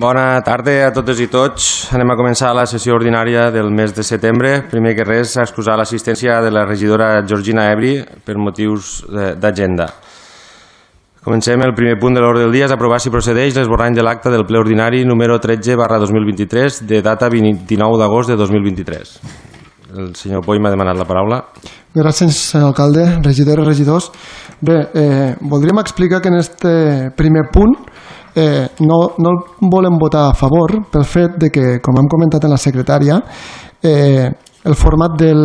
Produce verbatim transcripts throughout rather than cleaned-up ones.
Bona tarda a totes i tots. Anem a començar la sessió ordinària del mes de setembre. Primer que res, excusar l'assistència de la regidora Georgina Ebri per motius d'agenda. Comencem. El primer punt de l'ordre del dia és aprovar si procedeix l'esborrany de l'acta del ple ordinari número tretze barra dos mil vint-i-tres de data vint-i-nou d'agost de dos mil vint-i-tres. El senyor Poi m'ha demanat la paraula. Gràcies, senyor alcalde, regidores, regidors. Bé, eh, voldríem explicar que en este primer punt eh, no, no el volem votar a favor pel fet de que, com hem comentat en la secretària, eh, el format del,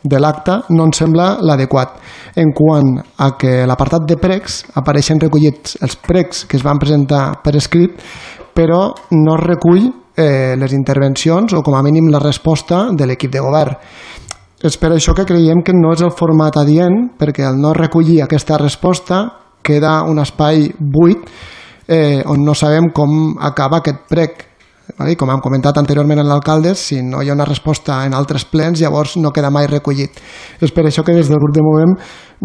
de l'acte no ens sembla l'adequat en quant a que l'apartat de pregs apareixen recollits els pregs que es van presentar per escrit, però no es recull eh, les intervencions o com a mínim la resposta de l'equip de govern. És per això que creiem que no és el format adient, perquè al no recollir aquesta resposta queda un espai buit eh, on no sabem com acaba aquest prec. I com hem comentat anteriorment en l'alcalde, si no hi ha una resposta en altres plens, llavors no queda mai recollit. És per això que des del grup de Movem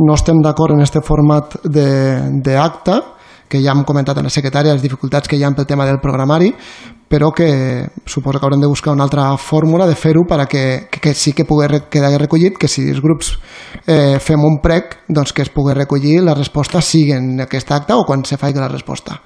no estem d'acord en aquest format d'acte, que ja hem comentat en la secretària les dificultats que hi ha pel tema del programari, però que suposo que haurem de buscar una altra fórmula de fer-ho perquè que, que sí que pugui quedar recollit, que si els grups eh, fem un prec, doncs que es pugui recollir la resposta sigui en aquest acte o quan se faci la resposta.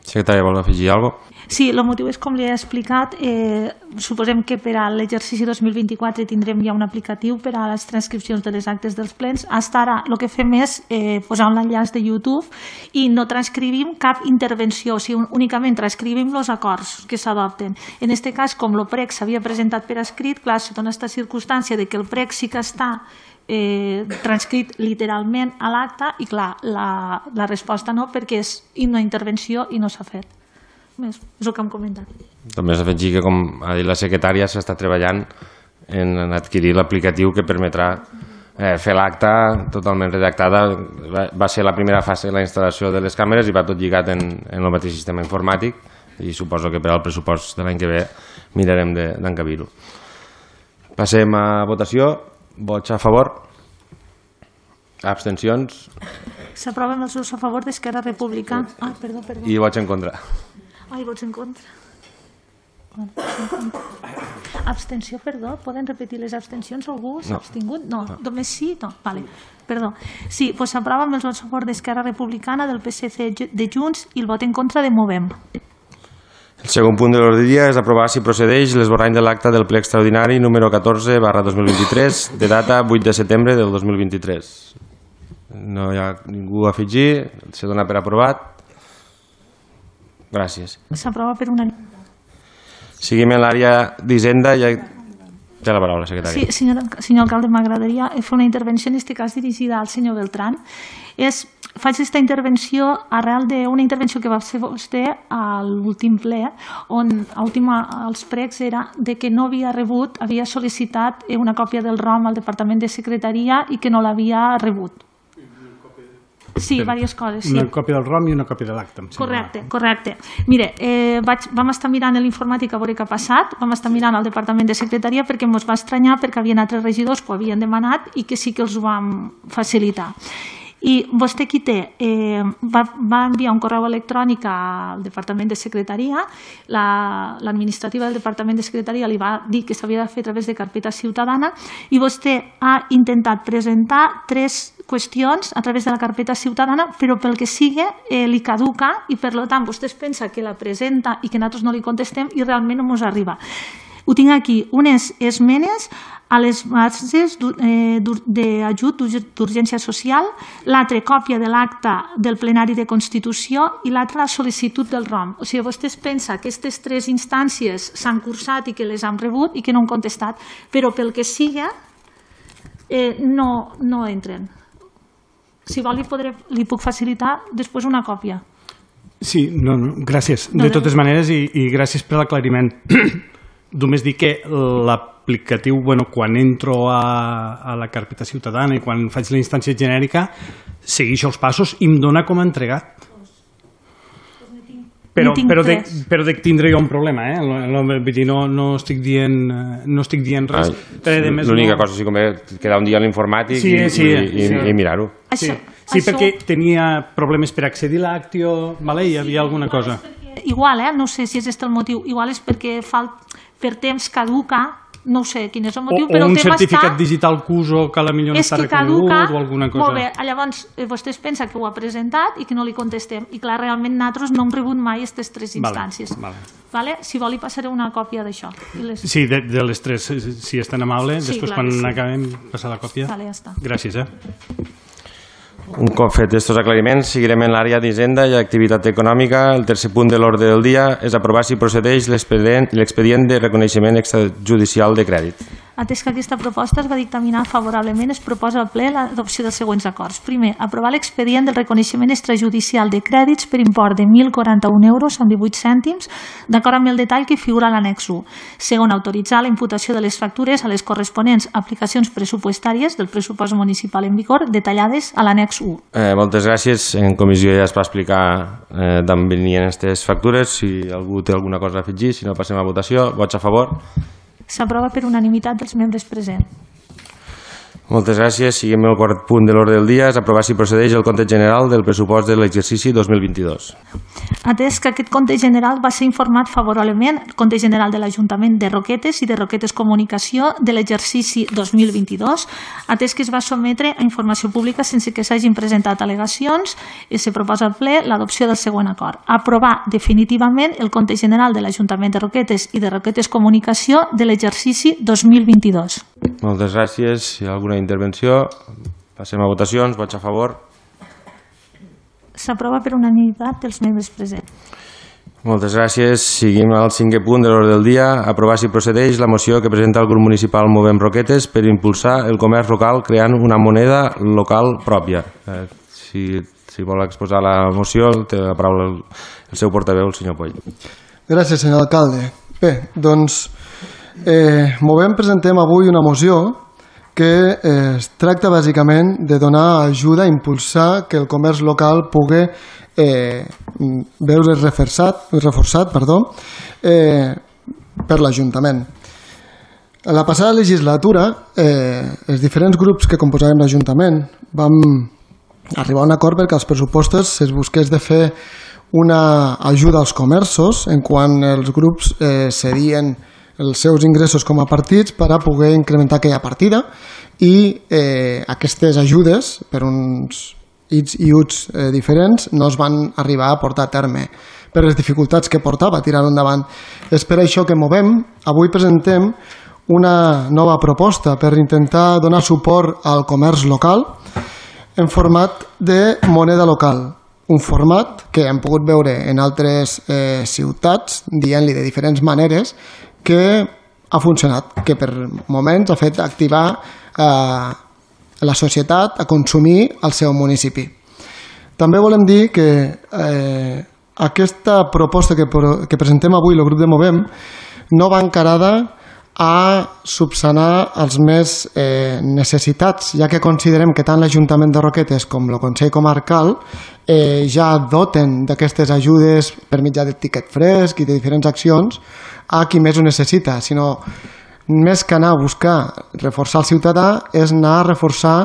Secretària, vol afegir alguna cosa? Sí, el motiu és, com li he explicat, eh, suposem que per a l'exercici dos mil vint-i-quatre tindrem ja un aplicatiu per a les transcripcions de les actes dels plens. Fins ara el que fem és eh, posar un enllaç de YouTube i no transcrivim cap intervenció, o sigui, únicament transcrivim els acords que s'adopten. En aquest cas, com el prec s'havia presentat per escrit, clar, se dona aquesta circumstància de que el prec sí que està eh, transcrit literalment a l'acte i, clar, la, la resposta no, perquè és una intervenció i no s'ha fet. És el que hem comentat. També s'afegir que, com ha dit la secretària, s'està treballant en adquirir l'aplicatiu que permetrà eh, fer l'acte totalment redactada. Va, va ser la primera fase de la instal·lació de les càmeres i va tot lligat en, en el mateix sistema informàtic i suposo que per al pressupost de l'any que ve mirarem d'encabir-ho. Passem a votació. Vots a favor? Abstencions? S'aproven els vots a favor d'Esquerra Republicana. Ah, perdó, perdó. I vots en contra? Ai, vots en contra. Abstenció, perdó. Poden repetir les abstencions? Algú s'ha abstingut? No, només sí? No, vale. Perdó. Sí, doncs s'aprova amb els vots a favor d'Esquerra Republicana, del P S C, de Junts i el vot en contra de Movem. El segon punt de l'ordre del dia és aprovar si procedeix l'esborrany de l'acte del ple extraordinari número catorze barra dos mil vint-i-tres de data vuit de setembre del dos mil vint-i-tres. No hi ha ningú a afegir, se dona per aprovat. Gràcies. S'aprova per una... Seguim en l'àrea d'Hisenda. Ja té la paraula, secretària. Sí, senyor, senyor alcalde, m'agradaria fer una intervenció, en aquest cas dirigida al senyor Beltrán. És, faig aquesta intervenció arrel d'una intervenció que va fer vostè a l'últim ple, on els pregs era de que no havia rebut, havia sol·licitat una còpia del ROM al Departament de Secretaria i que no l'havia rebut. Sí, diverses coses. Sí. Una còpia del ROM i una còpia de l'acte. Correcte, correcte. Mire, eh, vaig, vam estar mirant l'informàtic a veure què ha passat, vam estar mirant al Departament de Secretaria perquè ens va estranyar perquè havien altres regidors que ho havien demanat i que sí que els ho vam facilitar. I vostè qui té? Eh, va, va enviar un correu electrònic al Departament de Secretaria, l'administrativa del Departament de Secretaria li va dir que s'havia de fer a través de carpeta ciutadana i vostè ha intentat presentar tres qüestions a través de la carpeta ciutadana, però pel que sigui eh, li caduca i per tant vostè es pensa que la presenta i que nosaltres no li contestem i realment no ens arriba. Ho tinc aquí, unes esmenes a les bases d'ajut d'urgència social, l'altra còpia de l'acte del plenari de Constitució i l'altra la sol·licitud del ROM. O sigui, vostè es pensa que aquestes tres instàncies s'han cursat i que les han rebut i que no han contestat, però pel que sigui eh, no, no entren. Si vol, li, podré, li puc facilitar després una còpia. Sí, no, no, gràcies. De totes maneres, i, i gràcies per l'aclariment. Només dir que l'aplicatiu, bueno, quan entro a, a la carpeta ciutadana i quan faig la instància genèrica, segueixo els passos i em dona com a entregat. Però, però, de, però de tindré jo un problema, eh? Vull dir, no, no estic dient, no estic dient res. L'única cosa, si convé, quedar un dia a l'informàtic sí, i, sí, i, sí. i mirar-ho. Sí, sí, perquè tenia problemes per accedir a l'Actio, vale? Hi havia alguna cosa. igual, eh? no sé si és aquest el motiu, igual és perquè fa, per temps caduca, no sé quin és el motiu, o, però o un el tema certificat està... digital C U S O que a la millor no està reconegut o alguna cosa. Molt bé, llavors vostès pensen que ho ha presentat i que no li contestem, i clar, realment nosaltres no hem rebut mai aquestes tres instàncies. Vale, vale. Vale? Si vol li passaré una còpia d'això. Les... Sí, de, de les tres, si és tan amable, sí, després clar, quan sí. acabem passar la còpia. Vale, ja està. Gràcies, eh? Un cop fet aquests aclariments, seguirem en l'àrea d'Hisenda i activitat econòmica. El tercer punt de l'ordre del dia és aprovar si procedeix l'expedient de reconeixement extrajudicial de crèdit. Atès que aquesta proposta es va dictaminar favorablement, es proposa al ple l'adopció dels següents acords. Primer, aprovar l'expedient del reconeixement extrajudicial de crèdits per import de mil quaranta-un euros amb divuit cèntims, d'acord amb el detall que figura a l'annex u. Segon, autoritzar la imputació de les factures a les corresponents aplicacions pressupostàries del pressupost municipal en vigor detallades a l'annex u. Eh, moltes gràcies. En comissió ja es va explicar eh, d'on venien aquestes factures. Si algú té alguna cosa a afegir, si no passem a votació. Vots a favor? S'aprova per unanimitat dels membres presents. Moltes gràcies. Seguim el quart punt de l'ordre del dia. És aprovar si procedeix el compte general del pressupost de l'exercici dos mil vint-i-dos. Atès que aquest compte general va ser informat favorablement, el compte general de l'Ajuntament de Roquetes i de Roquetes Comunicació de l'exercici dos mil vint-i-dos, atès que es va sotmetre a informació pública sense que s'hagin presentat al·legacions, i se proposa al ple l'adopció del següent acord. Aprovar definitivament el compte general de l'Ajuntament de Roquetes i de Roquetes Comunicació de l'exercici dos mil vint-i-dos. Moltes gràcies. Si hi ha alguna intervenció, passem a votacions. Vots a favor? S'aprova per unanimitat dels membres presents. Moltes gràcies. Seguim al cinquè punt de l'ordre del dia. Aprovar si procedeix la moció que presenta el grup municipal Movem Roquetes per impulsar el comerç local creant una moneda local pròpia. Eh, si, si vol exposar la moció, té la paraula el, el seu portaveu, el senyor Poll. Gràcies, senyor alcalde. Bé, doncs, eh, Movem presentem avui una moció que eh, es tracta bàsicament de donar ajuda a impulsar que el comerç local pugui eh, veure reforçat, reforçat perdó, eh, per l'Ajuntament. A la passada legislatura, eh, els diferents grups que composàvem l'Ajuntament vam arribar a un acord perquè als pressupostos es busqués de fer una ajuda als comerços en quan els grups eh, cedien els seus ingressos com a partits per a poder incrementar aquella partida i eh, aquestes ajudes per uns its i uts eh, diferents no es van arribar a portar a terme per les dificultats que portava tirar-ho endavant. És per això que Movem, avui presentem una nova proposta per intentar donar suport al comerç local en format de moneda local. Un format que hem pogut veure en altres eh, ciutats, dient-li de diferents maneres, que ha funcionat, que per moments ha fet activar eh, la societat a consumir al seu municipi. També volem dir que eh, aquesta proposta que, que presentem avui, el grup de Movem, no va encarada a subsanar els més eh, necessitats, ja que considerem que tant l'Ajuntament de Roquetes com el Consell Comarcal eh, ja doten d'aquestes ajudes per mitjà de tiquet fresc i de diferents accions a qui més ho necessita, sinó més que anar a buscar reforçar el ciutadà és anar a reforçar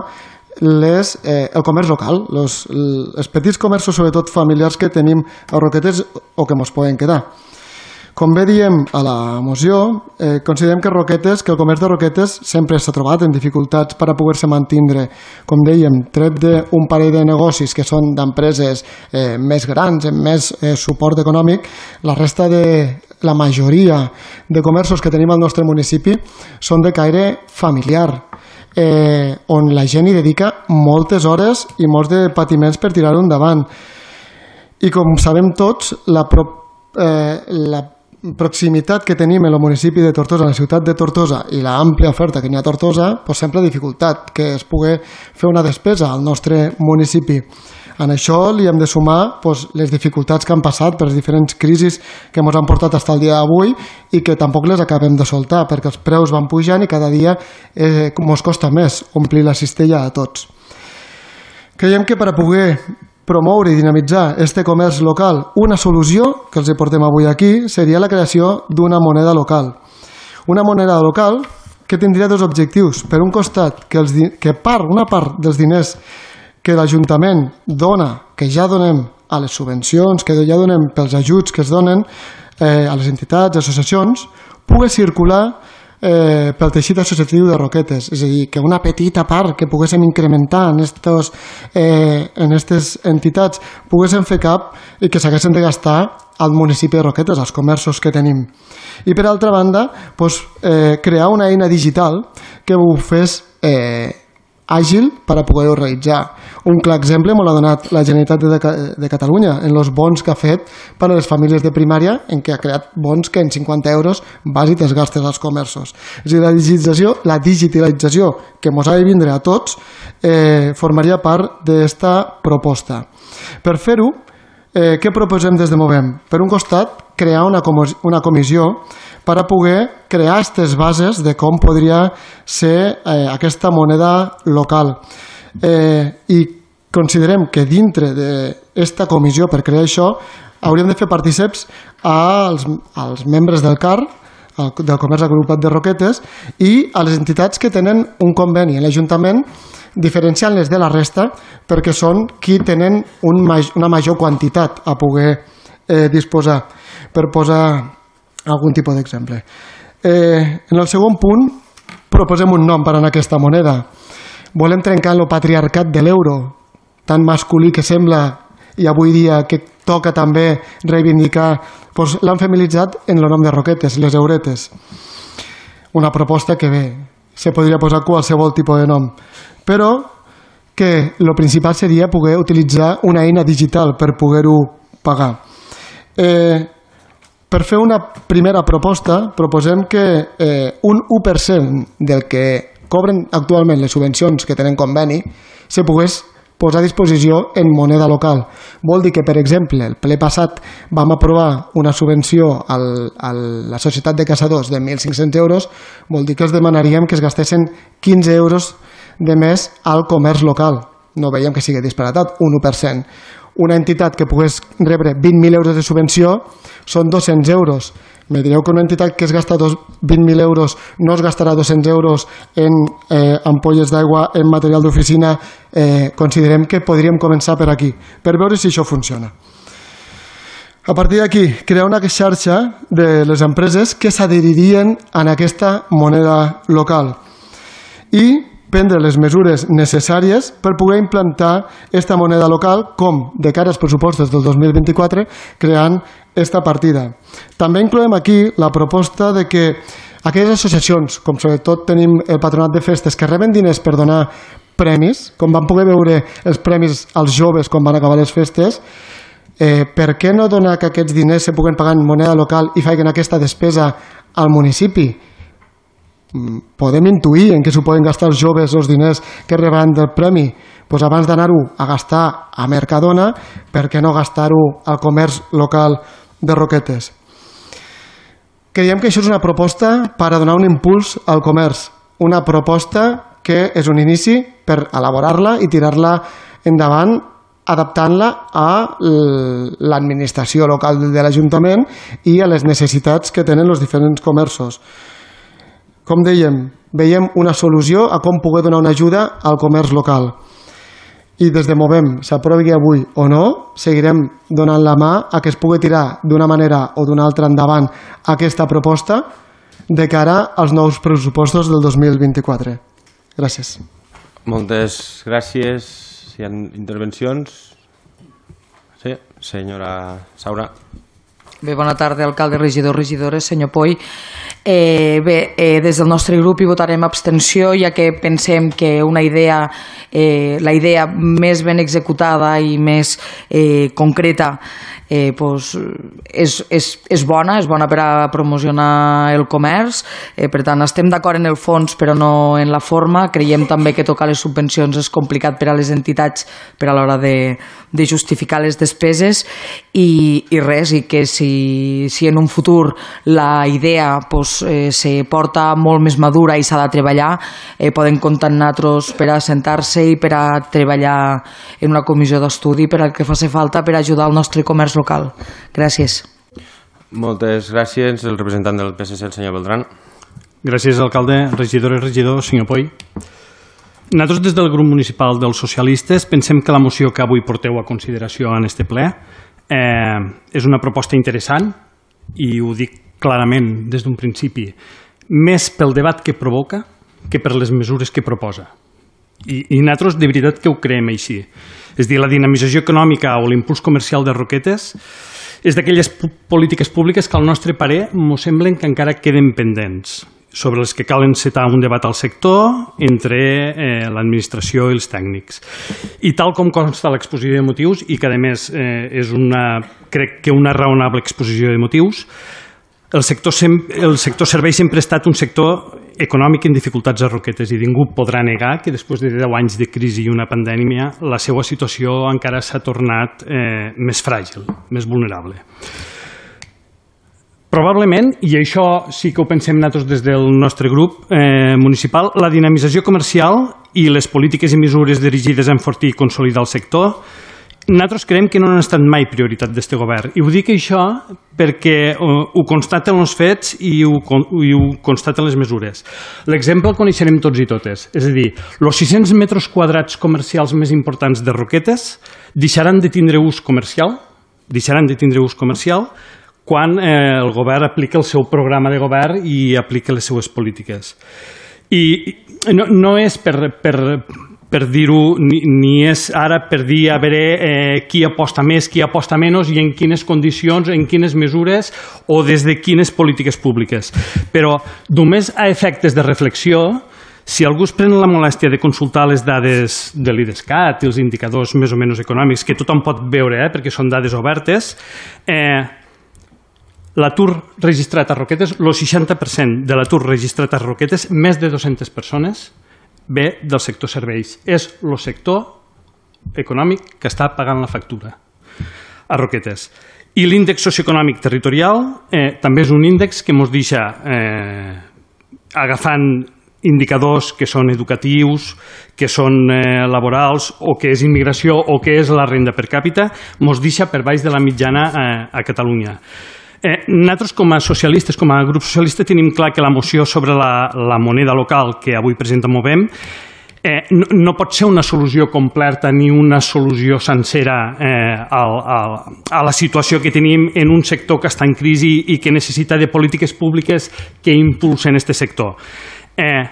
les, eh, el comerç local, los, els petits comerços, sobretot familiars, que tenim a Roquetes o que ens poden quedar. Com bé diem a la moció, eh, considerem que Roquetes, que el comerç de Roquetes sempre s'ha trobat en dificultats per a poder-se mantindre, com dèiem, tret d'un parell de negocis que són d'empreses eh, més grans, amb més eh, suport econòmic, la resta de la majoria de comerços que tenim al nostre municipi són de caire familiar, eh, on la gent hi dedica moltes hores i molts de patiments per tirar-ho endavant. I com sabem tots, la, pro, eh, la proximitat que tenim en el municipi de Tortosa, en la ciutat de Tortosa, i l'àmplia oferta que n'hi ha a Tortosa, doncs sempre ha dificultat que es pugui fer una despesa al nostre municipi. En això li hem de sumar doncs, les dificultats que han passat per les diferents crisis que ens han portat fins al dia d'avui i que tampoc les acabem de soltar perquè els preus van pujant i cada dia eh, ens costa més omplir la cistella a tots. Creiem que per a poder promoure i dinamitzar este comerç local, una solució que els portem avui aquí seria la creació d'una moneda local. Una moneda local que tindria dos objectius. Per un costat, que, els, que part, una part dels diners que l'Ajuntament dona, que ja donem a les subvencions que ja donem pels ajuts que es donen eh, a les entitats, associacions, pugui circular eh, pel teixit associatiu de Roquetes. És a dir, que una petita part que poguéssim incrementar en aquestes eh, en estes entitats poguéssim fer cap i que s'haguessin de gastar al municipi de Roquetes, als comerços que tenim. I per altra banda, doncs, eh, crear una eina digital que ho fes eh, àgil per a poder-ho realitzar. Un clar exemple m'ho l'ha donat la Generalitat de, de Catalunya en els bons que ha fet per a les famílies de primària, en què ha creat bons que en cinquanta euros vas i te'ls gastes als comerços. És a dir, la digitalització, la digitalització que ens ha de vindre a tots eh, formaria part d'esta proposta. Per fer-ho, eh, què proposem des de Movem? Per un costat, crear una, una comissió per a poder crear aquestes bases de com podria ser eh, aquesta moneda local. Eh, I considerem que dintre d'aquesta comissió per crear això hauríem de fer partíceps als, als membres del C A R, del Comerç Agrupat de Roquetes, i a les entitats que tenen un conveni en l'Ajuntament, diferenciant-les de la resta perquè són qui tenen un, una major quantitat a poder eh, disposar. Per posar algun tipus d'exemple. Eh, en el segon punt proposem un nom per a aquesta moneda. Volem trencar el patriarcat de l'euro, tan masculí que sembla i avui dia que toca també reivindicar, doncs l'han feminitzat en el nom de Roquetes, les euretes. Una proposta que bé, se podria posar qualsevol tipus de nom, però que el principal seria poder utilitzar una eina digital per poder-ho pagar. Eh, Per fer una primera proposta, proposem que eh, un u per cent del que cobren actualment les subvencions que tenen conveni se pogués posar a disposició en moneda local. Vol dir que, per exemple, el ple passat vam aprovar una subvenció al, a la Societat de Caçadors de mil cinc-cents euros, vol dir que els demanaríem que es gastessin quinze euros de més al comerç local. No veiem que sigui disparatat, un u per cent. Una entitat que pogués rebre vint mil euros de subvenció són dos-cents euros. Me direu que una entitat que es gasta vint mil euros no es gastarà dos-cents euros en eh, ampolles d'aigua, en material d'oficina. Eh, considerem que podríem començar per aquí, per veure si això funciona. A partir d'aquí, crear una xarxa de les empreses que s'adheririen a aquesta moneda local i prendre les mesures necessàries per poder implantar aquesta moneda local, com de cara als pressupostos del dos mil vint-i-quatre, creant aquesta partida. També incloem aquí la proposta de que aquelles associacions, com sobretot tenim el Patronat de Festes, que reben diners per donar premis, com vam poder veure els premis als joves quan van acabar les festes, eh, per què no donar que aquests diners se puguen pagar en moneda local i facin aquesta despesa al municipi? Podem intuir en què s'ho poden gastar els joves els diners que reben del premi. Doncs abans d'anar-ho a gastar a Mercadona, per què no gastar-ho al comerç local de Roquetes? Creiem que això és una proposta per a donar un impuls al comerç, una proposta que és un inici per elaborar-la i tirar-la endavant, adaptant-la a l'administració local de l'Ajuntament i a les necessitats que tenen els diferents comerços. Com dèiem, veiem una solució a com poder donar una ajuda al comerç local. I des de Movem, s'aprovi avui o no, seguirem donant la mà a que es pugui tirar d'una manera o d'una altra endavant aquesta proposta de cara als nous pressupostos del dos mil vint-i-quatre. Gràcies. Moltes gràcies. Hi ha intervencions? Sí, senyora Saura. Bé, bona tarda, alcalde, regidors, regidores, senyor Poi. Eh, bé, eh, des del nostre grup hi votarem abstenció, ja que pensem que una idea, eh, la idea més ben executada i més eh, concreta eh, pues, és, és, és bona, és bona per a promocionar el comerç, eh, per tant estem d'acord en el fons però no en la forma. Creiem també que tocar les subvencions és complicat per a les entitats per a l'hora de, de justificar les despeses i, i res, i que si, si en un futur la idea pues, eh, se porta molt més madura i s'ha de treballar, eh, poden comptar amb nosaltres per a sentar-se i per a treballar en una comissió d'estudi per al que faci falta per ajudar el nostre comerç local. Gràcies. Moltes gràcies. El representant del P S C, el senyor Beltran. Gràcies, alcalde, regidores, regidors, senyor Poi. Nosaltres, des del grup municipal dels socialistes, pensem que la moció que avui porteu a consideració en este ple eh, és una proposta interessant, i ho dic clarament des d'un principi, més pel debat que provoca que per les mesures que proposa. I, i nosaltres de veritat que ho creiem així. És a dir, la dinamització econòmica o l'impuls comercial de Roquetes és d'aquelles polítiques públiques que al nostre parer mos semblen que encara queden pendents, sobre les que cal encetar un debat al sector entre eh, l'administració i els tècnics. I tal com consta l'exposició de motius, i que a més eh, és una, crec que una raonable exposició de motius, el sector, sem el sector serveis sempre ha estat un sector econòmic en dificultats a Roquetes, i ningú podrà negar que després de deu anys de crisi i una pandèmia la seva situació encara s'ha tornat eh, més fràgil, més vulnerable. Probablement, i això sí que ho pensem nosaltres des del nostre grup eh, municipal, la dinamització comercial i les polítiques i mesures dirigides a enfortir i consolidar el sector, nosaltres creiem que no han estat mai prioritat d'aquest govern. I ho dic això perquè uh, ho constaten els fets i ho, i ho constaten les mesures. L'exemple el coneixerem tots i totes. És a dir, els sis-cents metres quadrats comercials més importants de Roquetes deixaran de tindre ús comercial, deixaran de tindre ús comercial quan eh, el govern aplica el seu programa de govern i aplica les seues polítiques. I no, no és per, per, per dir-ho, ni, ni és ara per dir a veure eh, qui aposta més, qui aposta menys i en quines condicions, en quines mesures o des de quines polítiques públiques. Però només a efectes de reflexió, si algú es pren la molèstia de consultar les dades de l'IDESCAT i els indicadors més o menys econòmics, que tothom pot veure eh, perquè són dades obertes, eh, l'atur registrat a Roquetes, el seixanta per cent de l'atur registrat a Roquetes, més de dues-centes persones, ve del sector serveis. És el sector econòmic que està pagant la factura a Roquetes. I l'índex socioeconòmic territorial eh, també és un índex que ens deixa eh, agafant indicadors que són educatius, que són eh, laborals, o que és immigració, o que és la renda per càpita, ens deixa per baix de la mitjana eh, a Catalunya. Eh, nosaltres, com a socialistes, com a grup socialista, tenim clar que la moció sobre la, la moneda local que avui presenta Movem eh, no, no pot ser una solució completa ni una solució sencera eh, al, al, a la situació que tenim en un sector que està en crisi i que necessita de polítiques públiques que impulsen aquest sector. Eh,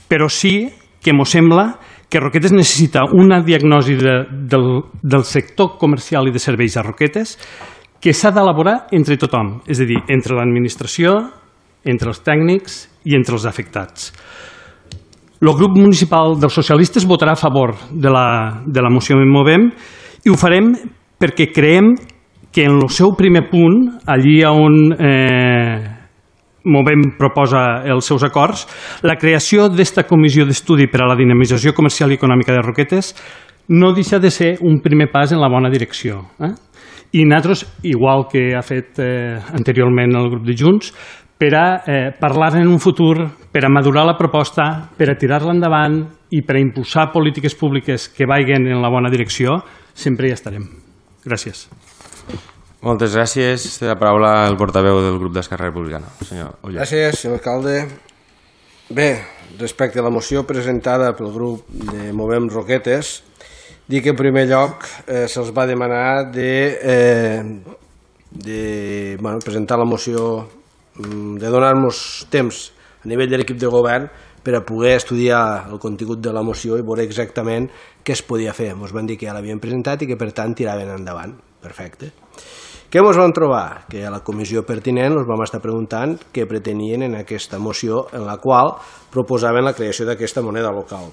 però sí que ens sembla que Roquetes necessita una diagnosi de, del, del sector comercial i de serveis a Roquetes que s'ha d'elaborar entre tothom, és a dir, entre l'administració, entre els tècnics i entre els afectats. El grup municipal dels socialistes votarà a favor de la, de la moció que Movem i ho farem perquè creiem que en el seu primer punt, allí on eh, Movem proposa els seus acords, la creació d'esta comissió d'estudi per a la dinamització comercial i econòmica de Roquetes no deixa de ser un primer pas en la bona direcció. Eh? I nosaltres, igual que ha fet eh, anteriorment el grup de Junts, per a eh, parlar en un futur, per a madurar la proposta, per a tirar-la endavant i per a impulsar polítiques públiques que vagin en la bona direcció, sempre hi estarem. Gràcies. Moltes gràcies. Té la paraula el portaveu del grup d'Esquerra Republicana, senyor Oller. Gràcies, senyor alcalde. Bé, respecte a la moció presentada pel grup de Movem Roquetes, dic que en primer lloc eh, se'ls va demanar de, eh, de bueno, presentar la moció, de donar-nos temps a nivell de l'equip de govern per a poder estudiar el contingut de la moció i veure exactament què es podia fer. Ens van dir que ja l'havien presentat i que per tant tiraven endavant. Perfecte. Què ens vam trobar? Que a la comissió pertinent ens vam estar preguntant què pretenien en aquesta moció en la qual proposaven la creació d'aquesta moneda local.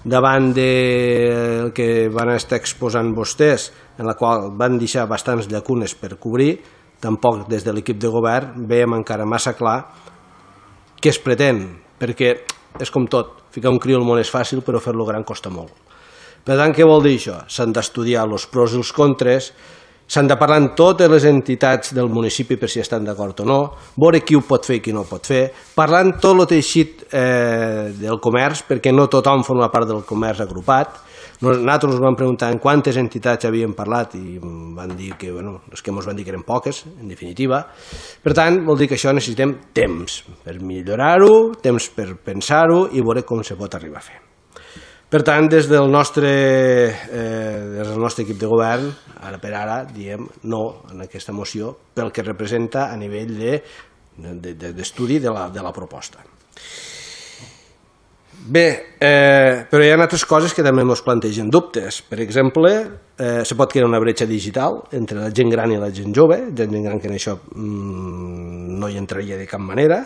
Davant del que van estar exposant vostès, en la qual van deixar bastants llacunes per cobrir, tampoc des de l'equip de govern veiem encara massa clar què es pretén, perquè és com tot, ficar un criu al món és fàcil, però fer-lo gran costa molt. Per tant, què vol dir això? S'han d'estudiar els pros i els contres, s'han de parlar amb totes les entitats del municipi per si estan d'acord o no, veure qui ho pot fer i qui no ho pot fer, parlar amb tot el teixit eh, del comerç, perquè no tothom forma part del comerç agrupat. Nosaltres ens vam preguntar en quantes entitats havíem parlat i van dir que, bueno, els que ens van dir que eren poques, en definitiva. Per tant, vol dir que això necessitem temps per millorar-ho, temps per pensar-ho i veure com se pot arribar a fer. Per tant, des del nostre, eh, des del nostre equip de govern, ara per ara, diem no en aquesta moció pel que representa a nivell d'estudi de, de, de, la, de la proposta. Bé, eh, però hi ha altres coses que també ens plantegen dubtes. Per exemple, eh, se pot crear una bretxa digital entre la gent gran i la gent jove, gent gran que en això mmm, no hi entraria de cap manera.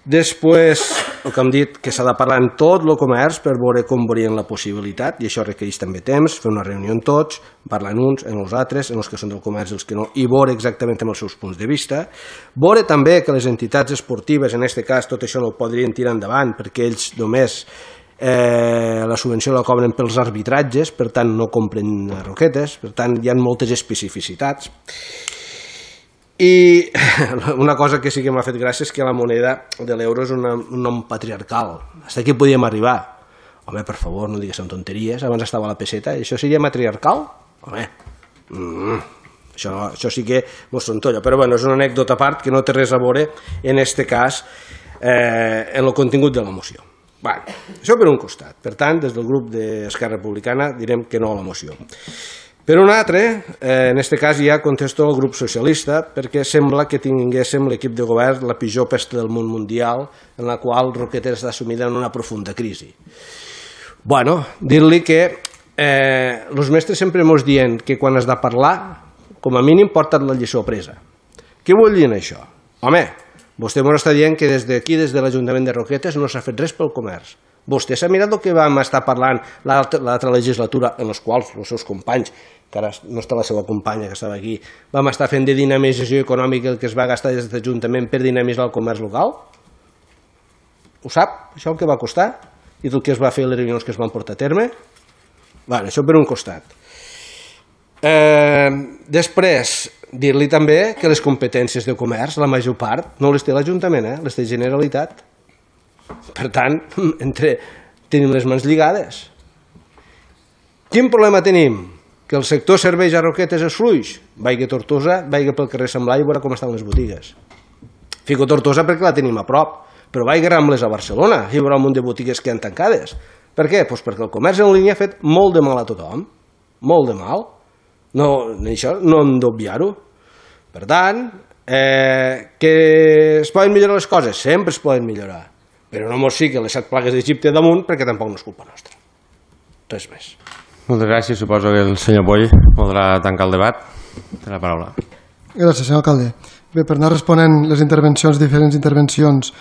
Després, el que hem dit, que s'ha de parlar en tot el comerç per veure com veurien la possibilitat, i això requereix també temps, fer una reunió amb tots, parlar en uns, en els altres, en els que són del comerç i els que no, i veure exactament amb els seus punts de vista. Veure també que les entitats esportives, en aquest cas, tot això no ho podrien tirar endavant, perquè ells només eh, la subvenció la cobren pels arbitratges, per tant no compren roquetes, per tant hi ha moltes especificitats. I una cosa que sí que m'ha fet gràcia és que la moneda de l'euro és una, un nom patriarcal. Fins aquí podíem arribar. Home, per favor, no digues tonteries, abans estava la peseta, i això seria matriarcal? Home, mm, això, això sí que mos trontolla, però bueno, és una anècdota a part que no té res a veure en este cas eh, en el contingut de la moció. Bueno, això per un costat. Per tant, des del grup d'Esquerra Republicana direm que no a la moció. Per un altre, eh, en aquest cas ja contesto al grup socialista, perquè sembla que tinguéssim l'equip de govern la pitjor pesta del món mundial, en la qual Roquetes està sumida en una profunda crisi. Bueno, dir-li que eh, els mestres sempre ens diuen que quan has de parlar, com a mínim porta't la lliçó presa. Què vol dir això? Home, vostè ens està dient que des d'aquí, des de l'Ajuntament de Roquetes, no s'ha fet res pel comerç. Vostè s'ha mirat el que vam estar parlant l'altra legislatura, en els quals els seus companys, que ara no està la seva companya que estava aquí, vam estar fent de dinamització econòmica el que es va gastar des de l'Ajuntament per dinamitzar el comerç local? Ho sap, això el que va costar? I el que es va fer les reunions que es van portar a terme? Bueno, això per un costat. Eh, després, dir-li també que les competències de comerç, la major part, no les té l'Ajuntament, eh? Les té Generalitat. Per tant, entre, tenim les mans lligades. Quin problema tenim? Que el sector serveis a Roquetes és fluix. Vaiga a Tortosa, vaiga pel carrer Sant Blai i veurà com estan les botigues. Fico Tortosa perquè la tenim a prop, però vaiga a Rambles a Barcelona i veurà un munt de botigues que han tancades. Per què? Pues perquè el comerç en línia ha fet molt de mal a tothom. Molt de mal. No, això no hem d'obviar-ho. Per tant, eh, que es poden millorar les coses? Sempre es poden millorar. Però no mos fiquen les set plagues d'Egipte damunt perquè tampoc no és culpa nostra. Res més. Moltes gràcies. Suposo que el senyor Poll podrà tancar el debat. Té la paraula. Gràcies, senyor alcalde. Bé, per anar responent les intervencions, diferents intervencions,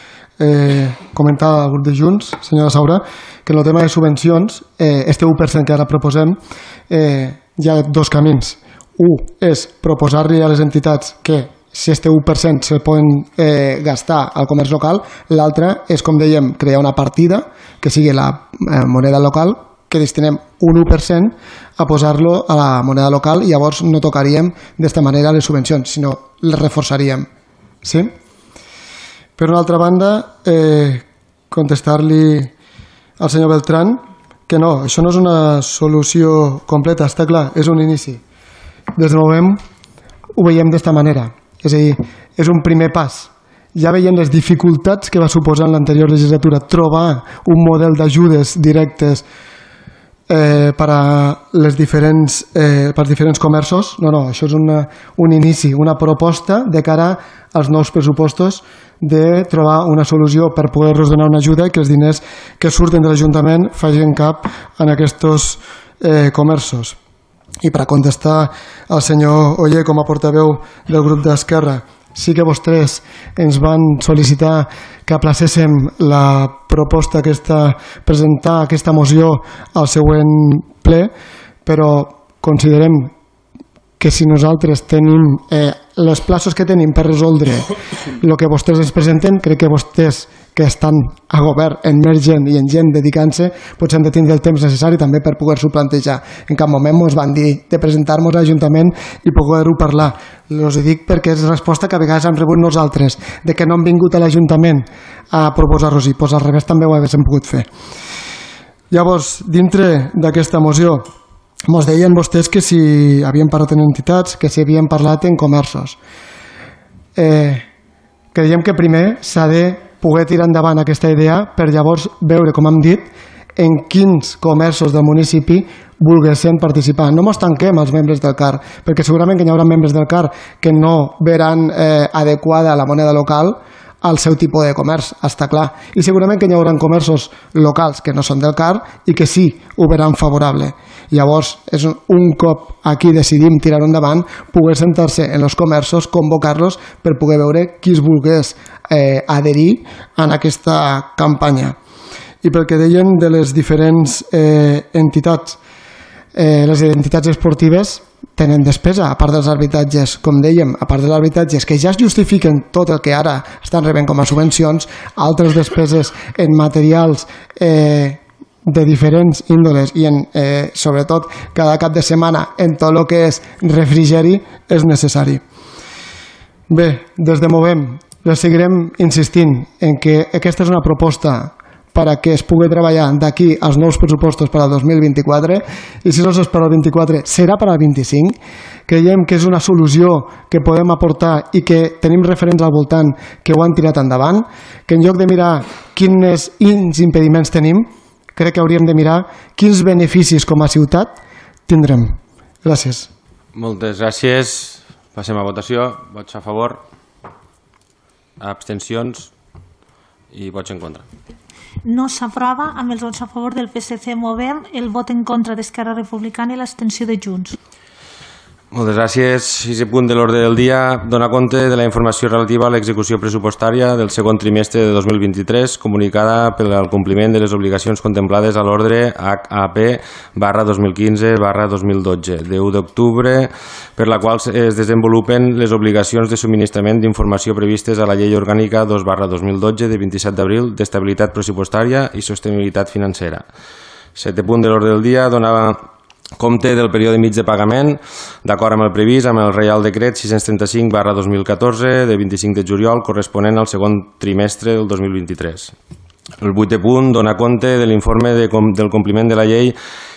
eh, comentar al grup de Junts, senyora Saura, que en el tema de subvencions, eh, este u per cent que ara proposem, eh, hi ha dos camins. Un és proposar-li a les entitats que si este u per cent se poden eh, gastar al comerç local, l'altre és, com dèiem, crear una partida que sigui la eh, moneda local, que destinem un u per cent a posar-lo a la moneda local i llavors no tocaríem d'esta manera les subvencions, sinó les reforçaríem. Sí? Per una altra banda, eh, contestar-li al senyor Beltrán que no, això no és una solució completa, està clar, és un inici. Des de Movem ho veiem d'esta manera. És a dir, és un primer pas. Ja veiem les dificultats que va suposar en l'anterior legislatura trobar un model d'ajudes directes eh, per a les diferents, eh, per als diferents comerços. No, no, això és una, un inici, una proposta de cara als nous pressupostos de trobar una solució per poder-los donar una ajuda i que els diners que surten de l'Ajuntament facin cap en aquests eh, comerços. I per a contestar al senyor Oller com a portaveu del grup d'Esquerra, sí que vostès ens van sol·licitar que aplacéssim la proposta aquesta, presentar aquesta moció al següent ple, però considerem que si nosaltres tenim eh, els plaços que tenim per resoldre el que vostès ens presenten, crec que vostès que estan a govern en més gent i en gent dedicant-se potser han de tindre el temps necessari també per poder-s'ho plantejar. En cap moment ens van dir de presentar-nos a l'Ajuntament i poder-ho parlar. Els dic perquè és resposta que a vegades hem rebut nosaltres, de que no hem vingut a l'Ajuntament a proposar-los-hi, doncs al revés també ho haguéssim pogut fer. Llavors, dintre d'aquesta moció, ens deien vostès que si havien parlat en entitats, que si havien parlat en comerços. Eh, creiem que primer s'ha de poder tirar endavant aquesta idea per llavors veure, com hem dit, en quins comerços del municipi volguessin participar. No mos tanquem als membres del C A R, perquè segurament que hi haurà membres del C A R que no veran eh, adequada la moneda local al seu tipus de comerç, està clar. I segurament que hi haurà comerços locals que no són del C A R i que sí ho veran favorable. Llavors, és un cop aquí decidim tirar endavant, poder sentar-se en els comerços, convocar-los per poder veure qui es volgués eh, adherir a aquesta campanya. I pel que deien de les diferents eh, entitats, eh, les entitats esportives tenen despesa, a part dels arbitratges, com dèiem, a part dels arbitratges que ja es justifiquen tot el que ara estan rebent com a subvencions, altres despeses en materials eh, de diferents índoles i en, eh, sobretot cada cap de setmana en tot el que és refrigeri és necessari. Bé, des de Movem les seguirem insistint en que aquesta és una proposta per a que es pugui treballar d'aquí als nous pressupostos per al dos mil vint-i-quatre i si no és per al vint-i-quatre serà per al vint-i-cinc. Creiem que és una solució que podem aportar i que tenim referents al voltant que ho han tirat endavant, que en lloc de mirar quins impediments tenim, crec que hauríem de mirar quins beneficis com a ciutat tindrem. Gràcies. Moltes gràcies. Passem a votació. Vots a favor, abstencions i vots en contra. No s'aprova amb els vots a favor del P S C Movem, el vot en contra d'Esquerra Republicana i l'abstenció de Junts. Moltes gràcies. Sisè punt de l'ordre del dia. Dona compte de la informació relativa a l'execució pressupostària del segon trimestre de dos mil vint-i-tres comunicada per al compliment de les obligacions contemplades a l'ordre H A P barra dos mil quinze barra dos mil dotze de u d'octubre, per la qual es desenvolupen les obligacions de subministrament d'informació previstes a la Llei Orgànica dos barra dos mil dotze de vint-i-set d'abril d'estabilitat pressupostària i sostenibilitat financera. Setè punt de l'ordre del dia. Dona compte del període mig de pagament, d'acord amb el previst amb el Reial Decret sis-cents trenta-cinc barra dos mil catorze de vint-i-cinc de juliol corresponent al segon trimestre del dos mil vint-i-tres. El vuitè punt dona compte de l'informe de com, del compliment de la llei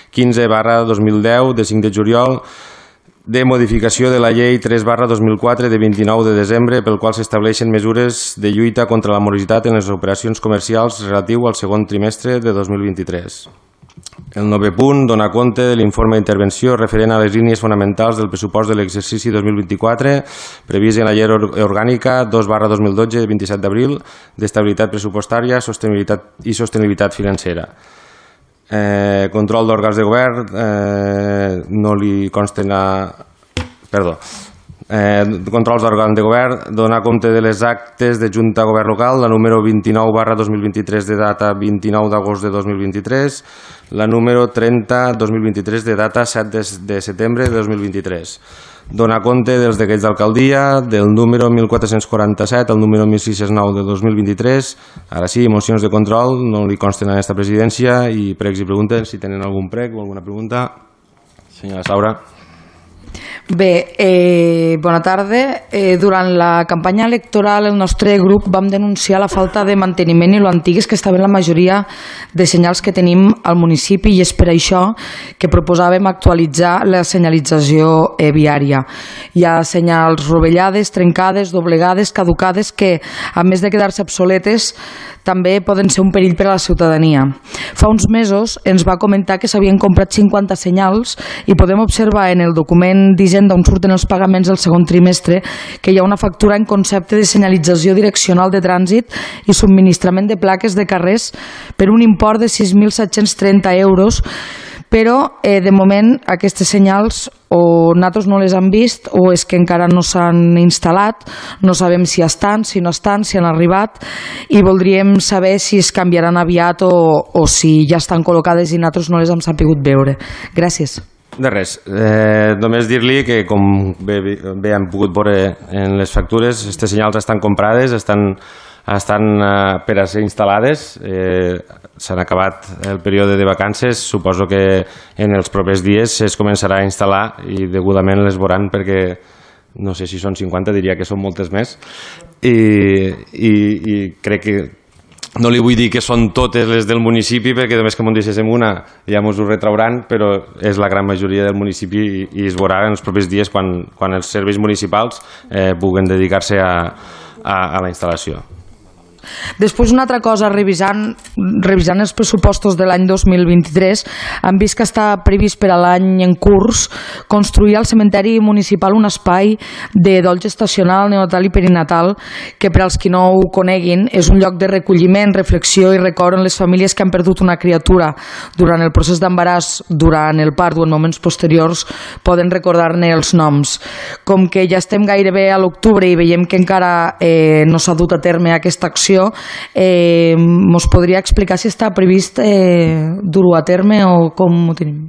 quinze barra dos mil deu de cinc de juliol de modificació de la llei tres barra dos mil quatre de vint-i-nou de desembre pel qual s'estableixen mesures de lluita contra la morositat en les operacions comercials relatiu al segon trimestre de dos mil vint-i-tres. El novè punt dona compte de l'informe d'intervenció referent a les línies fonamentals del pressupost de l'exercici dos mil vint-i-quatre previst en la Llei Orgànica dos barra dos mil dotze de vint-i-set d'abril d'estabilitat pressupostària sostenibilitat i sostenibilitat financera. Eh, control d'òrgans de govern, eh, no li consten a... Perdó. Eh, controls d'òrgans de govern, donar compte de les actes de Junta de Govern Local, la número vint-i-nou barra dos mil vint-i-tres de data vint-i-nou d'agost de dos mil vint-i-tres, la número trenta dos mil vint-i-tres de data set de setembre de dos mil vint-i-tres. Donar compte dels decrets d'alcaldia, del número mil quatre-cents quaranta-set al número mil sis-cents nou de dos mil vint-i-tres. Ara sí, mocions de control, no li consten a aquesta presidència i pregs i preguntes, si tenen algun prec o alguna pregunta. Senyora Saura. Bé, eh, bona tarda. Eh, durant la campanya electoral el nostre grup vam denunciar la falta de manteniment i lo antigues que estaven la majoria de senyals que tenim al municipi i és per això que proposàvem actualitzar la senyalització eh, viària. Hi ha senyals rovellades, trencades, doblegades, caducades que, a més de quedar-se obsoletes, també poden ser un perill per a la ciutadania. Fa uns mesos ens va comentar que s'havien comprat cinquanta senyals i podem observar en el document d'Hisenda on surten els pagaments del segon trimestre que hi ha una factura en concepte de senyalització direccional de trànsit i subministrament de plaques de carrers per un import de sis mil set-cents trenta euros, però eh, de moment aquestes senyals o nosaltres no les han vist o és que encara no s'han instal·lat, no sabem si estan, si no estan, si han arribat i voldríem saber si es canviaran aviat o, o si ja estan col·locades i nosaltres no les hem sapigut veure. Gràcies. De res, eh, només dir-li que com bé, bé hem pogut veure en les factures, aquestes senyals estan comprades, estan, estan eh, per a ser instal·lades, eh, s'han acabat el període de vacances, suposo que en els propers dies es començarà a instal·lar i degudament les veuran perquè no sé si són cinquanta, diria que són moltes més i, i, i crec que no li vull dir que són totes les del municipi perquè només que m'ho deixéssim una ja mos ho retrauran, però és la gran majoria del municipi i, i es veurà en els propers dies quan, quan els serveis municipals eh, puguen dedicar-se a, a, a la instal·lació. Després, una altra cosa, revisant, revisant els pressupostos de l'any dos mil vint-i-tres, hem vist que està previst per a l'any en curs construir al cementeri municipal un espai de dol gestacional, neonatal i perinatal, que per als qui no ho coneguin és un lloc de recolliment, reflexió i record en les famílies que han perdut una criatura durant el procés d'embaràs, durant el part o en moments posteriors poden recordar-ne els noms. Com que ja estem gairebé a l'octubre i veiem que encara eh, no s'ha dut a terme aquesta acció, eh, mos podria explicar si està previst eh, dur-ho a terme o com ho tenim?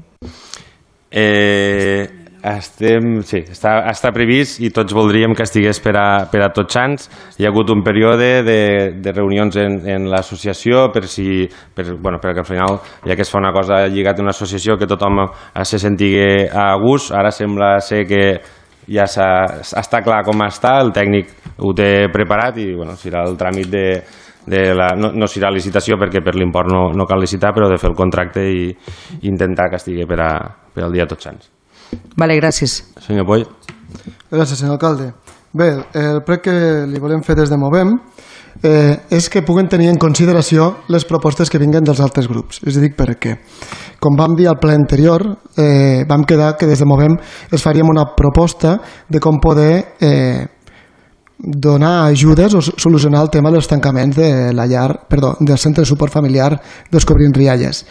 Eh, estem, sí, està, està previst i tots voldríem que estigués per a, per a tots sants. Hi ha hagut un període de, de reunions en, en l'associació per si, per, bueno, perquè al final, ja que es fa una cosa lligada a una associació, que tothom se sentigui a gust. Ara sembla ser que ja està clar com està, el tècnic ho té preparat i bueno, serà el tràmit de, de la, no, no serà licitació perquè per l'import no, no cal licitar, però de fer el contracte i, i intentar que estigui per, a, per al dia Tots Sants. Vale, gràcies. Senyor Poll. Gràcies, senyor alcalde. Bé, el prec que li volem fer des de Movem eh, és que puguen tenir en consideració les propostes que vinguen dels altres grups. És a dir, perquè, com vam dir al ple anterior, eh, vam quedar que des de Movem es faríem una proposta de com poder eh, donar ajudes o solucionar el tema dels tancaments de la llar, perdó, del centre de suport familiar Descobrint Rialles.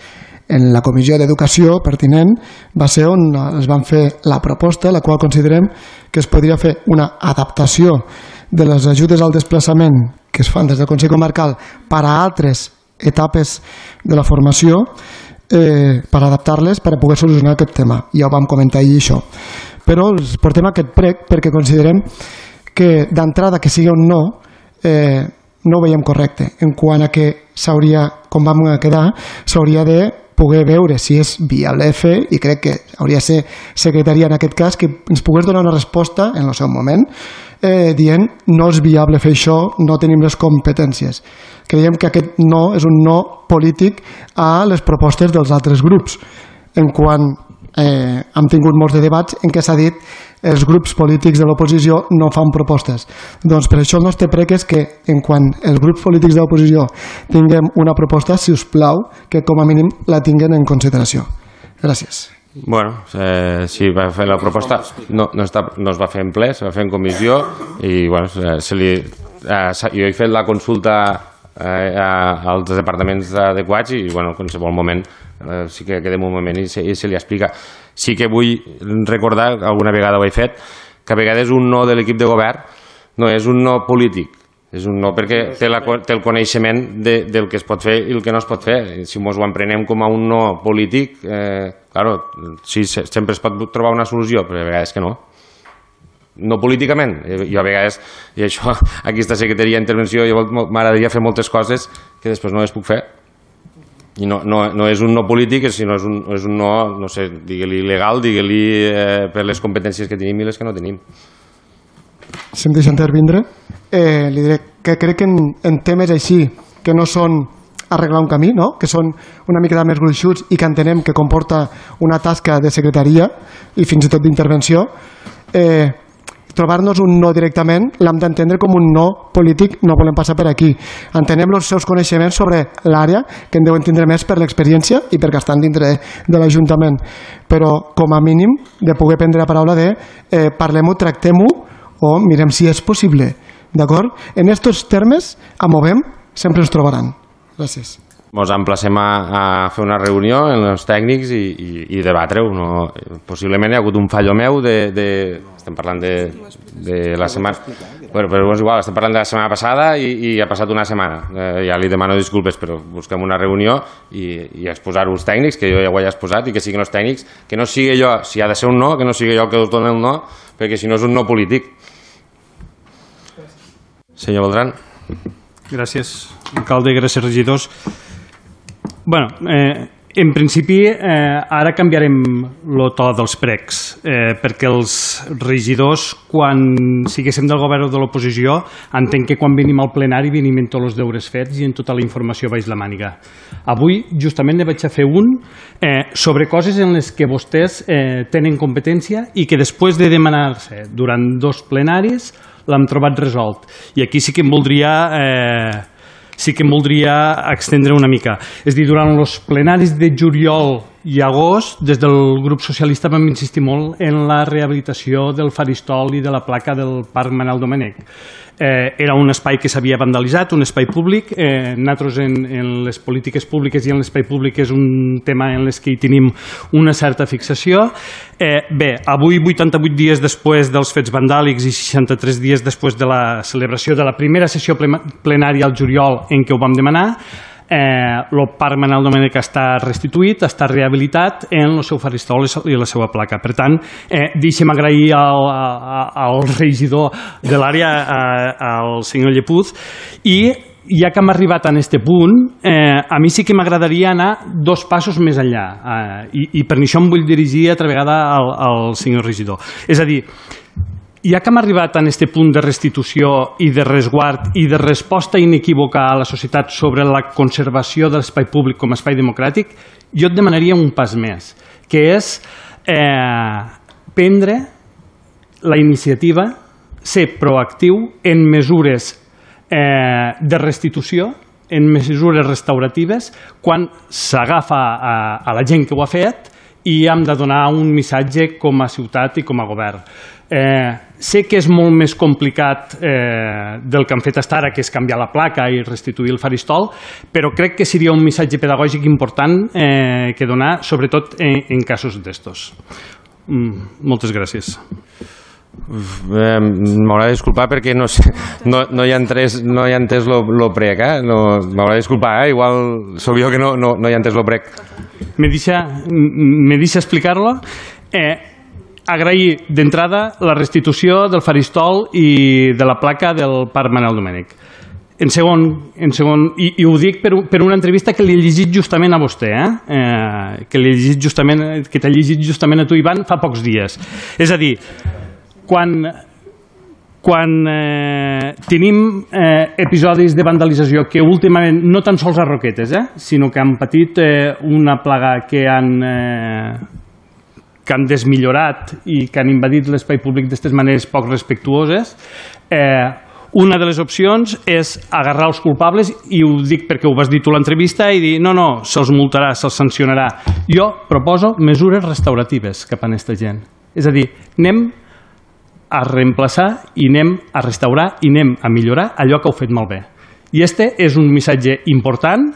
En la comissió d'educació pertinent va ser on es van fer la proposta, la qual considerem que es podria fer una adaptació de les ajudes al desplaçament que es fan des del Consell Comarcal per a altres etapes de la formació, eh, per adaptar-les per a poder solucionar aquest tema. Ja ho vam comentar ahir això. Però els portem aquest prec perquè considerem que d'entrada que sigui un no, eh, no ho veiem correcte. En quant a que s'hauria, com vam quedar, s'hauria de poder veure si és viable fer, i crec que hauria de ser secretaria en aquest cas, que ens pogués donar una resposta en el seu moment, eh, dient no és viable fer això, no tenim les competències. Creiem que aquest no és un no polític a les propostes dels altres grups. En quant eh, hem tingut molts de debats en què s'ha dit els grups polítics de l'oposició no fan propostes. Doncs per això el nostre prec és que en quan els grups polítics de l'oposició tinguem una proposta, si us plau, que com a mínim la tinguin en consideració. Gràcies. Bueno, eh, sí, va fer la proposta, no, no, està, no es va fer en ple, es va fer en comissió i bueno, se li, eh, jo he fet la consulta eh, als departaments adequats i bueno, en qualsevol moment eh, sí que quedem un moment i se, i se li explica. Sí que vull recordar, alguna vegada ho he fet, que a vegades un no de l'equip de govern no és un no polític, és un no perquè té, la, té el coneixement de, del que es pot fer i el que no es pot fer. Si ens ho emprenem com a un no polític, eh, claro, sí, sempre es pot trobar una solució, però a vegades que no. No políticament, jo a vegades, i això, aquesta secretaria d'intervenció, m'agradaria fer moltes coses que després no les puc fer. I no, no, no és un no polític, sinó és un, és un no, no sé, digue-li legal, digue-li eh, per les competències que tenim i les que no tenim. Si em deixa intervindre, eh, li diré que crec que en, en temes així, que no són arreglar un camí, no? Que són una mica més gruixuts i que entenem que comporta una tasca de secretaria i fins i tot d'intervenció, eh, trobar-nos un no directament l'hem d'entendre com un no polític, no volem passar per aquí. Entenem els seus coneixements sobre l'àrea, que en deuen tindre més per l'experiència i perquè estan dintre de l'Ajuntament, però com a mínim de poder prendre la paraula de eh, parlem-ho, tractem-ho o mirem si és possible, d'acord? En aquests termes, a Movem, sempre ens trobaran. Gràcies. Ens emplacem a, a fer una reunió amb els tècnics i, i, i debatre-ho. No? Possiblement hi ha hagut un fallo meu de... de estem parlant de, de la setmana... Bueno, però és igual, estem parlant de la setmana passada i, i ha passat una setmana. Eh, ja li demano disculpes, però busquem una reunió i, i exposar-ho als tècnics, que jo ja ho he exposat, i que siguin els tècnics, que no sigui jo, si ha de ser un no, que no sigui jo el que us doni el no, perquè si no és un no polític. Senyor Beltran. Gràcies, alcalde, gràcies, regidors. Bueno, eh, en principi eh, ara canviarem el to dels precs, eh, perquè els regidors, quan siguéssim del govern o de l'oposició, entenc que quan venim al plenari venim amb tots els deures fets i amb tota la informació baix la màniga. Avui justament ne vaig a fer un eh, sobre coses en les que vostès eh, tenen competència i que després de demanar-se durant dos plenaris l'hem trobat resolt. I aquí sí que em voldria... Eh, sí que em voldria extendre una mica. És a dir, durant els plenaris de juliol i agost, des del grup socialista vam insistir molt en la rehabilitació del faristol i de la placa del Parc Manel Domènech. Eh, era un espai que s'havia vandalitzat, un espai públic. Eh, nosaltres en, en les polítiques públiques i en l'espai públic és un tema en les que hi tenim una certa fixació. Eh, bé, avui, vuitanta-vuit dies després dels fets vandàlics i seixanta-tres dies després de la celebració de la primera sessió plenària al juliol en què ho vam demanar, Eh, el Parc Manel Domènech està restituït, està rehabilitat en el seu faristol i la seva placa. Per tant, eh, deixem agrair al, al regidor de l'àrea, al senyor Llepuz, i ja que hem arribat a aquest punt, eh, a mi sí que m'agradaria anar dos passos més enllà, eh, i, i per això em vull dirigir altra vegada al, al senyor regidor. És a dir, ja que hem arribat a aquest punt de restitució i de resguard i de resposta inequívoca a la societat sobre la conservació de l'espai públic com a espai democràtic, jo et demanaria un pas més, que és eh, prendre la iniciativa, ser proactiu en mesures eh, de restitució, en mesures restauratives, quan s'agafa a, a la gent que ho ha fet i hem de donar un missatge com a ciutat i com a govern. Eh, sé que és molt més complicat eh, del que han fet fins ara, que és canviar la placa i restituir el faristol, però crec que seria un missatge pedagògic important eh, que donar, sobretot en, en casos d'estos. Mm, moltes gràcies. Eh, M'haurà de disculpar perquè no, sé, no, no hi ha entès no hi ha entès lo, lo prec, eh? No, m'haurà de disculpar, eh? Igual sóc jo que no, no, no hi ha entès lo prec. Me deixa, me deixa explicar-lo. Eh, agrair d'entrada la restitució del faristol i de la placa del Parc Manel Domènech. En segon, en segon i, i ho dic per, per una entrevista que li he llegit justament a vostè, eh? Eh, que li he llegit justament, que t'he llegit justament a tu, Ivan, fa pocs dies. És a dir, quan, quan eh, tenim eh, episodis de vandalització que últimament, no tan sols a Roquetes, eh, sinó que han patit eh, una plaga que han... Eh, que han desmillorat i que han invadit l'espai públic d'aquestes maneres poc respectuoses, eh, una de les opcions és agarrar els culpables, i ho dic perquè ho vas dir tu a l'entrevista, i dir, no, no, se'ls multarà, se'ls sancionarà. Jo proposo mesures restauratives cap a aquesta gent. És a dir, anem a reemplaçar i anem a restaurar i anem a millorar allò que heu fet malbé. I este és un missatge important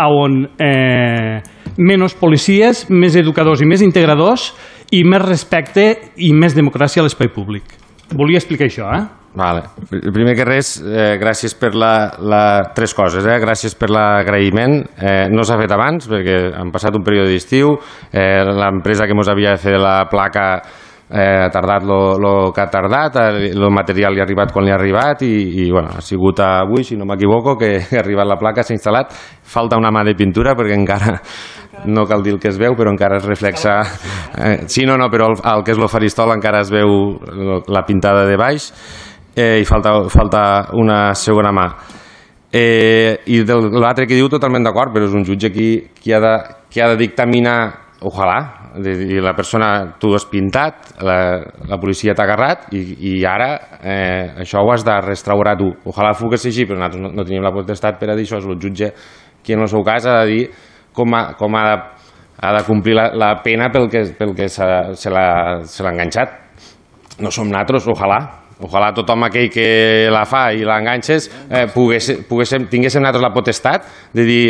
on eh, menys policies, més educadors i més integradors i més respecte i més democràcia a l'espai públic. Volia explicar això, eh? Vale. Primer que res, eh, gràcies per la, la... tres coses, eh? Gràcies per l'agraïment. Eh, no s'ha fet abans perquè han passat un període d'estiu, eh, l'empresa que ens havia de fer la placa eh, ha tardat el que ha tardat, el material li ha arribat quan li ha arribat i, i bueno, ha sigut avui, si no m'equivoco, que ha arribat la placa, s'ha instal·lat. Falta una mà de pintura perquè encara no cal dir el que es veu, però encara es reflexa... Eh, sí, no, no, però el, el que és el faristol encara es veu la pintada de baix eh, i falta, falta una segona mà. Eh, I de l'altre que diu, totalment d'acord, però és un jutge qui, qui, ha de, qui ha de dictaminar, ojalà, i la persona, tu has pintat, la, la policia t'ha agarrat i, i ara eh, això ho has de restaurar tu. Ojalà fos així, però nosaltres no, no tenim la potestat per a dir això. És el jutge qui en el seu cas ha de dir com ha, com ha, de, ha de complir la, la pena pel que, pel que se, se l'ha enganxat. No som nosaltres, ojalà. Ojalà tothom aquell que la fa i l'enganxes eh, pogués, poguéssim, tinguéssim nosaltres la potestat de dir,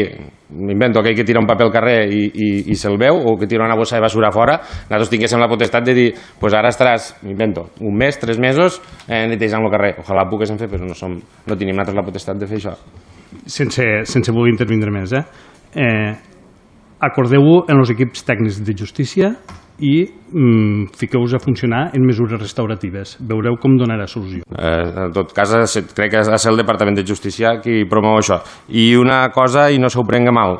m'invento, aquell que tira un paper al carrer i, i, i se'l veu, o que tira una bossa de basura fora, nosaltres tinguéssim la potestat de dir, pues ara estaràs, m'invento, un mes, tres mesos eh, netejant el carrer. Ojalà ho poguéssim fer, però no, som, no tenim nosaltres la potestat de fer això. Sense, sense voler intervindre més, eh? eh acordeu-ho en els equips tècnics de justícia i mm, fiqueu-vos a funcionar en mesures restauratives. Veureu com donarà solució. Eh, en tot cas, crec que ha de ser el Departament de Justícia qui promou això. I una cosa, i no s'ho prenga mal,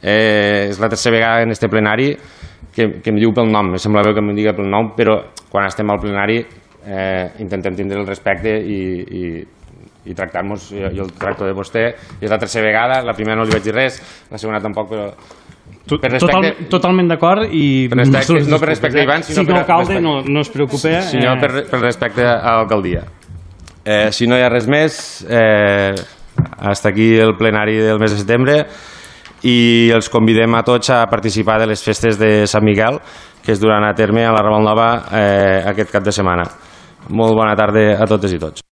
eh, és la tercera vegada en este plenari que, que em diu pel nom. Em sembla bé que em diga pel nom, però quan estem al plenari eh, intentem tindre el respecte i, i, i tractar-nos, jo el tracto de vostè, i és la tercera vegada, la primera no li vaig dir res, la segona tampoc, però... Per respecte, Total, totalment d'acord i per respecte, no per respecte a Ivan, sinó si per alcalde no, no es preocupe, sinó per, per respecte a l'alcaldia. Eh, si no hi ha res més, eh, hasta aquí el plenari del mes de setembre i els convidem a tots a participar de les festes de Sant Miquel que es duran a terme a la Raval Nova eh, aquest cap de setmana. Molt bona tarda a totes i tots.